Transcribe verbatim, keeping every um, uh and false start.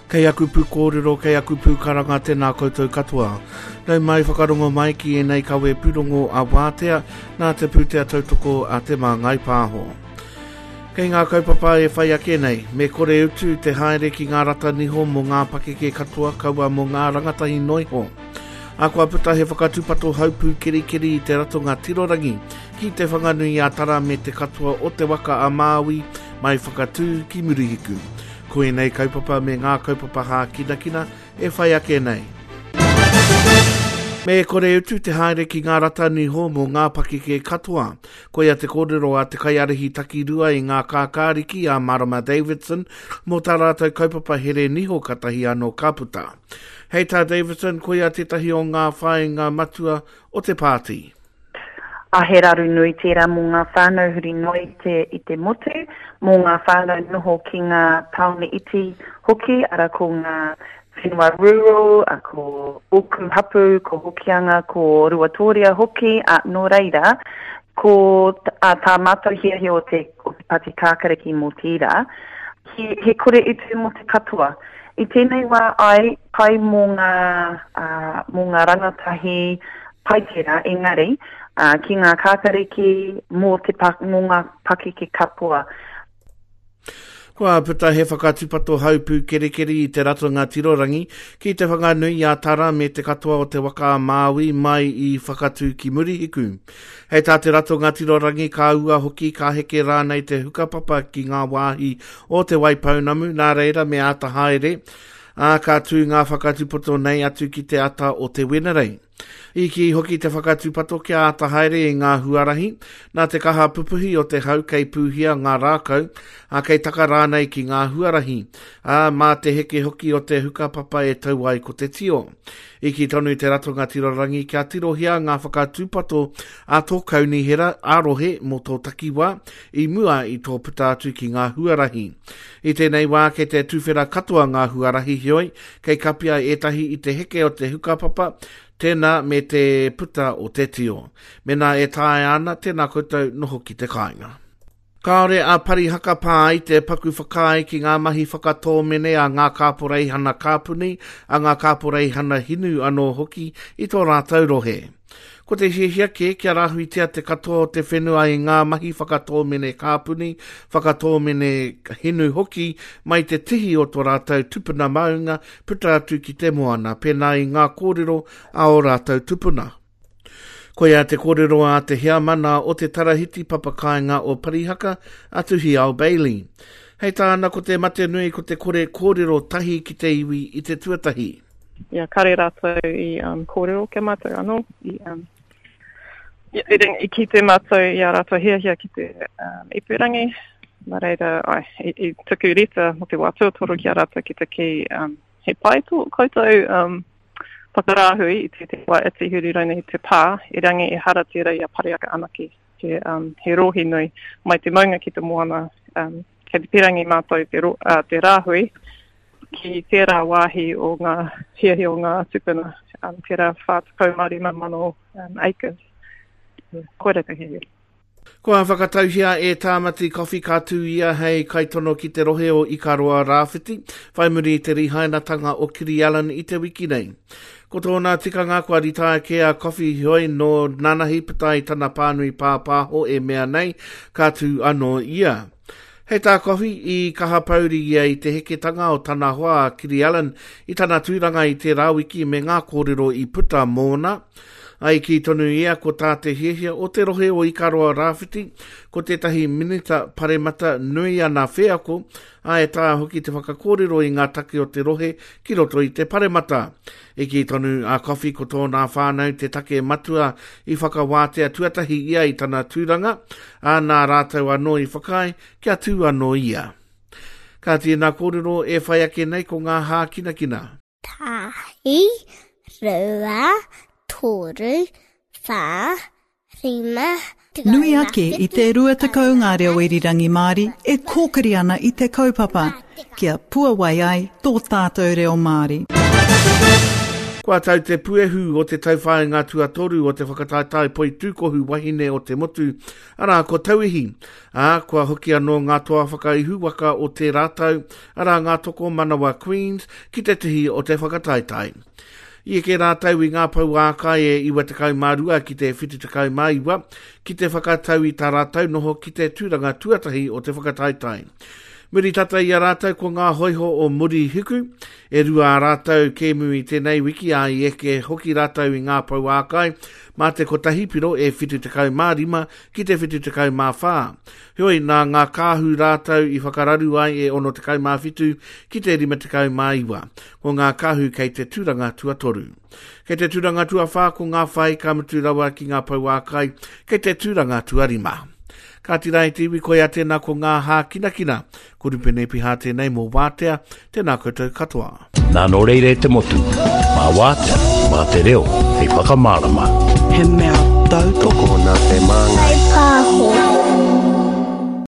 Kei aku pūkōrero, kei aku pūkaranga, tēnā koutou katoa. Nau mai whakarongo mai ki ēnei kawe pūrongo a Wātea, nā te pūtea tautoko a Te Māngai Pāho. Kei ngā kaupapa e whai ake nei, me kore utu te haere ki ngā rata niho mō ngā pakeke katoa kaua mō ngā rangatahi noiho. A kua puta he whakatūpato haupū kerikeri i te ratonga tirorangi ki te Whanganui a Tara me te katoa o te waka a Māui mai Whakatū ki Murihiku. Ko ēnei kaupapa me ngā kaupapa hākinakina e whai ake nei. Me kore utu te haere ki ngā rata niho mō ngā pakeke katoa. Koia te kōrero a te kaiārahi takirua i ngā kākāriki a Marama Davidson mō tā rātou kaupapa here niho katahi anō ka puta. Hei tā Davidson, koia tētahi o ngā whāinga matua o te pāti. A he raru nui tērā mō ngā whānau huri noa i te, i te motu, mō ngā whānau noho ki ngā tāone iti hoki, ara ko ngā whenua rural, a ko ōku hapū, ko Hokianga, ko Ruatoria hoki, a, nō reira, ko a, tā mātou hiahia o te, o te Pāti Kākariki mō tērā, he, he kore utu mō te katoa. I tēnei wā ai, pai mō ngā, uh, mō ngā rangatahi pai tērā, engari, uh, ki ngā kākariki mō, te pa, mō ngā pakeke katoa. Kua puta he whakatūpato haupū kerikeri i te ratonga tirorangi ki te Whanganui a Tara me te katoa o te waka a Māui mai i Whakatū ki Murihiku. Hei tā te ratonga tirorangi ka ua hoki ka heke rānei te hukapapa ki ngā wāhi o Te Waipounamu, nā reira me āta haere, ā, ka tū ngā whakatūpato nei atu ki te ata o te Wenerei. I kī hoki te whakatūpato kia āta haere i ngā huarahi, nā te kaha pupuhi o te hau kei pūhia ngā rākau, ā, kei taka rānei ki ngā huarahi, ā, mā te heke hoki o te hukapapa e tau ai ko te tio. I kī tonu te ratonga tirorangi kia tirohia ngā whakatūpato a tō kaunihera ā-rohe mō tō takiwā i mua i tō puta atu ki ngā huarahi. I tēnei wā kei te tuwhera katoa ngā huarahi heoi, kei kapia ētahi i te heke o te hukapapa, tēnā me te puta o te tio. Mēnā e taea ana, tēnā koutou noho ki te kāinga. Kāore a Parihaka Pā i te paku whakaae ki ngā mahi whakatōmene a ngā kāporeihana kāpuni, a ngā kāporeihana hinu anō hoki i tō rātou rohe. Ko te hiahia kē kia rāhuitia te katoa o te whenua i ngā mahi whakatōmene kāpuni, whakatōmene hinu hoki mai te tihi o tō rātou tupuna maunga puta atu ki te moana, pēnā i ngā kōrero a ō rātou tupuna. Koia te kōrero a te heamana o te Tarahiti Papakāinga o Parihaka, a Tuhiao Bailey. Hei tāna ko te mate nui ko te kore kōrero tahi ki te iwi i te tuatahi. Ia, kare rātou i um, kōrero kia mātou anō. I, um, i, i, i kite mātou i a rātou hiahia ki te um, ipurangi. Nā reira, ai, i, i tuku reta mō te wā tuatoru ki a rātou ki te kī, um, he pai tō koutou um, whakarāhui i te te wā iti huri rauna i te pā, erangi ehara tērā i a Parihaka anake. He, um, he rohe nui mai te maunga ki te moana, um, kei te pirangi mātou te, ro, uh, te rāhui ki tērā wāhi o ngā hiahia o ngā tupuna, um, tērā whā tekau mā rima mano um, acres. Koira te hiahia. Kua whakatauhia e Tāmati Coffey ka tū ia hei kaitono ki te rohe o Ikaroa Rāwhiti, whai muri i te rihainatanga o Kiri Allan i te wiki nei. Ko tōna tikanga kua ritaia kē a Coffey heoi nō nanahi puta i tana pānui pāpāho e mea nei, ka tū anō ia. Hei tā Coffey, i kaha pouri ia i te heketanga o tana hoa a Kiri Allan i tana tūranga i tērā wiki me ngā kōrero i puta mōna. Ai kī tonu ia ko tā te hiahia o te rohe o Ikaroa Rāwhiti, ko tētahi minita paremata nui ana wheako, ā, e taea hoki te whakakōrero i ngā take o te rohe ki roto i te paremata. I kī tonu a Coffey ko tōna whānau te take matua i whakawātea tuatahi ia i tana tūranga, ā, nā rātou anō i whakaae kia tū anō ia. Ka tēnā kōrero e whai ake nei ko ngā hākinakina. Tahi, rua, toru, whā, rima, Nui ake i te rua tekau ngā reo irirangi Māori e kōkiri ana i te kaupapa, kia puawai ai tō tātou reo Māori. Kua tau te puehu o te tauwhāinga tuatoru o te whakataetae poitūkohu wahine o te motu, arā ko Tauihi, ā, kua hoki anō ngā toa whakaihuwaka o te rātau, arā ngā tokomanawa Queens, ki te tihi o te whakataetae. I eke rātau i ngā pouākai e iwa tekau mā rua ki te whitu tekau mā iwa, ki te whakatau i tā rātau noho ki te tūranga tuatahi o te whakataetae. Muri tata i a rātou ko ngā hoiho o Murihiku, e rua a rātou kēmu i tēnei wiki a i eke hoki rātou i ngā pouākai mā te kotahi piro e whitu tekau mā rima ki te whitu tekau mā whā. Heoi, nā ngā kāhu rātou i whakararu ai e ono tekau mā whitu ki te rima tekau mā iwa. Ko ngā kāhu kei te tūranga tuatoru. Kei te tūranga tuawhā ko ngā whai ka mutu rawa ki ngā pouākai kei te tūranga tuarima. Ka tira i te iwi koia tēnā ko ngā hākinakina. Ko Rupene Piha tēnei mō Wātea, tēnā koutou katoa. Nā nō reire te motu, mā Wātea, mā te reo, hei whakamārama. He mea tautoko nā te māngai. Pāho.